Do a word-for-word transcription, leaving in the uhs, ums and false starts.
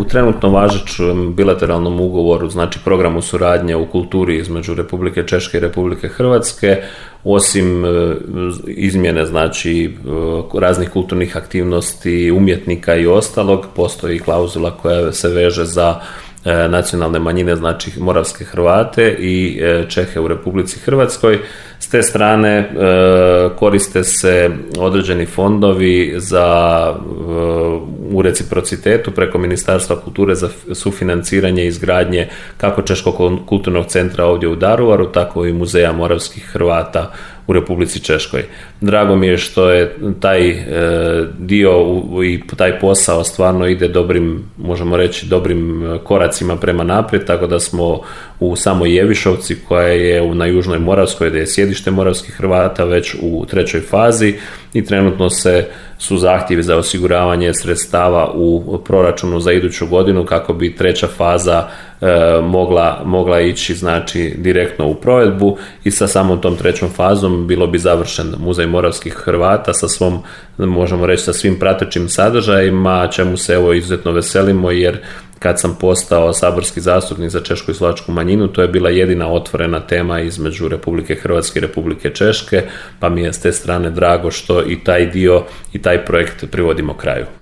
u trenutno važećem bilateralnom ugovoru, znači programu suradnje u kulturi između Republike Češke i Republike Hrvatske, osim izmjene znači raznih kulturnih aktivnosti, umjetnika i ostalog, postoji klauzula koja se veže za nacionalne manjine, znači moravske Hrvate i Čehe u Republici Hrvatskoj. S te strane koriste se određeni fondovi za u reciprocitetu preko Ministarstva kulture za sufinanciranje izgradnje kako Češkog kulturnog centra ovdje u Daruvaru, tako i Muzeja moravskih Hrvata u Republici Češkoj. Drago mi je što je taj e, dio u, i taj posao stvarno ide dobrim, možemo reći, dobrim koracima prema naprijed, tako da smo u samoj Jevišovci, koja je na Južnoj Moravskoj, gdje je sjedište moravskih Hrvata, već u trećoj fazi i trenutno se su zahtjevi za osiguravanje sredstava u proračunu za iduću godinu kako bi treća faza e, mogla, mogla ići znači direktno u provedbu i sa samom tom trećom fazom bilo bi završen Muzej moravskih Hrvata sa svom, možemo reći, sa svim pratećim sadržajima, čemu se evo izuzetno veselimo, jer kad sam postao saborski zastupnik za češku i slovačku manjinu, to je bila jedina otvorena tema između Republike Hrvatske i Republike Češke, pa mi je s te strane drago što i taj dio i taj projekt privodimo kraju.